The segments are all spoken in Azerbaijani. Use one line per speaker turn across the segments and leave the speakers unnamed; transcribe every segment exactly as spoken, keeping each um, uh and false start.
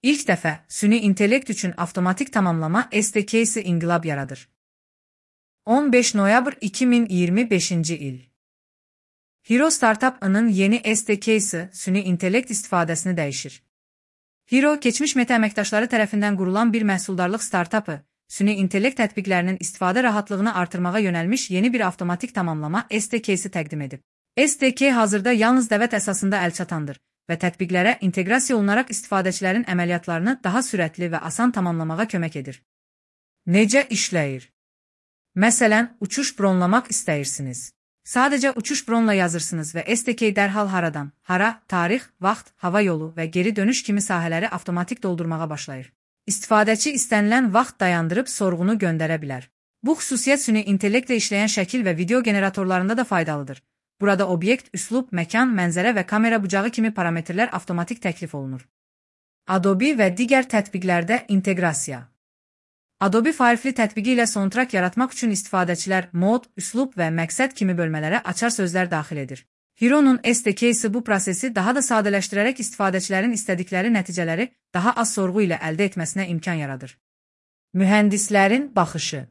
İlk dəfə süni intellekt üçün avtomatik tamamlama S D K-si inqilab yaradır. on beş noyabr iki min iyirmi beşinci il. Hero Startup-ının yeni S D K-si süni intellekt istifadəsini dəyişir. Hero, keçmiş Meta əməkdaşları tərəfindən qurulan bir məhsuldarlıq startapı, süni intellekt tətbiqlərinin istifadə rahatlığını artırmağa yönəlmiş yeni bir avtomatik tamamlama S D K-si təqdim edib. S D K hazırda yalnız dəvət əsasında əlçatandır və tətbiqlərə inteqrasiya olunaraq istifadəçilərin əməliyyatlarını daha sürətli və asan tamamlamağa kömək edir. Necə işləyir? Məsələn, uçuş bronlamaq istəyirsiniz. Sadəcə uçuş bronla yazırsınız və S D K dərhal haradan, hara, tarix, vaxt, hava yolu və geri dönüş kimi sahələri avtomatik doldurmağa başlayır. İstifadəçi istənilən vaxt dayandırıb sorğunu göndərə bilər. Bu xüsusiyyət süni intellektlə işləyən şəkil və video generatorlarında da faydalıdır. Burada obyekt, üslub, məkan, mənzərə və kamera bucağı kimi parametrlər avtomatik təklif olunur. Adobe və digər tətbiqlərdə inteqrasiya. Adobe Firefly tətbiqi ilə soundtrack yaratmaq üçün istifadəçilər mod, üslub və məqsəd kimi bölmələrə açar sözlər daxil edir. Hero'nun S D K-si bu prosesi daha da sadələşdirərək istifadəçilərin istədikləri nəticələri daha az sorğu ilə əldə etməsinə imkan yaradır. Mühəndislərin baxışı.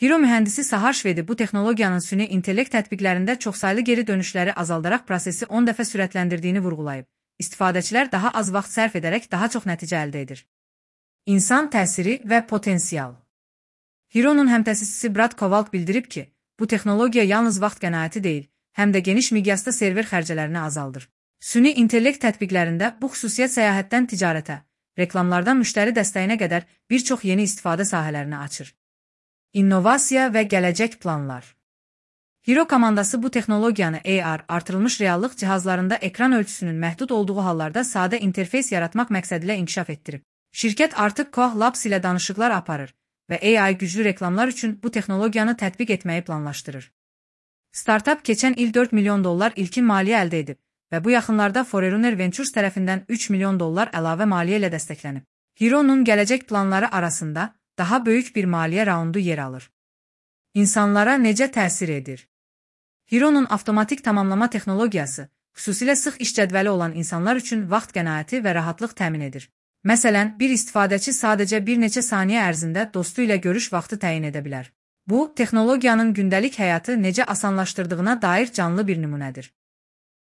Hero mühəndisi Sahar Şvedi bu texnologiyanın süni intellekt tətbiqlərində çoxsaylı geri dönüşləri azaldaraq prosesi on dəfə sürətləndirdiyini vurğulayıb. İstifadəçilər daha az vaxt sərf edərək daha çox nəticə əldə edir. İnsan təsiri və potensial. Hero'nun həmtəsisçisi Brad Kowalk bildirib ki, bu texnologiya yalnız vaxt qənaəti deyil, həm də geniş miqyasda server xərcələrini azaldır. Süni intellekt tətbiqlərində bu xüsusiyyət səyahətdən ticarətə, reklamlardan müştəri dəstəyinə qədər bir çox yeni istifadə sahələrini açır. İnnovasiya və gələcək planlar. Hero komandası bu texnologiyanı A R, artırılmış reallıq cihazlarında ekran ölçüsünün məhdud olduğu hallarda sadə interfeys yaratmaq məqsədilə inkişaf etdirib. Şirkət artıq Koch Labs ilə danışıqlar aparır və A I güclü reklamlar üçün bu texnologiyanı tətbiq etməyi planlaşdırır. Startup keçən il dörd milyon dollar ilkin maliyyə əldə edib və bu yaxınlarda Forerunner Ventures tərəfindən üç milyon dollar əlavə maliyyə ilə dəstəklənib. Hero'nun gələcək planları arasında daha böyük bir maliyyə raundu yer alır. İnsanlara necə təsir edir? Hero'nun avtomatik tamamlama texnologiyası, xüsusilə sıx iş cədvəli olan insanlar üçün vaxt qənaəti və rahatlıq təmin edir. Məsələn, bir istifadəçi sadəcə bir neçə saniyə ərzində dostu ilə görüş vaxtı təyin edə bilər. Bu, texnologiyanın gündəlik həyatı necə asanlaşdırdığına dair canlı bir nümunədir.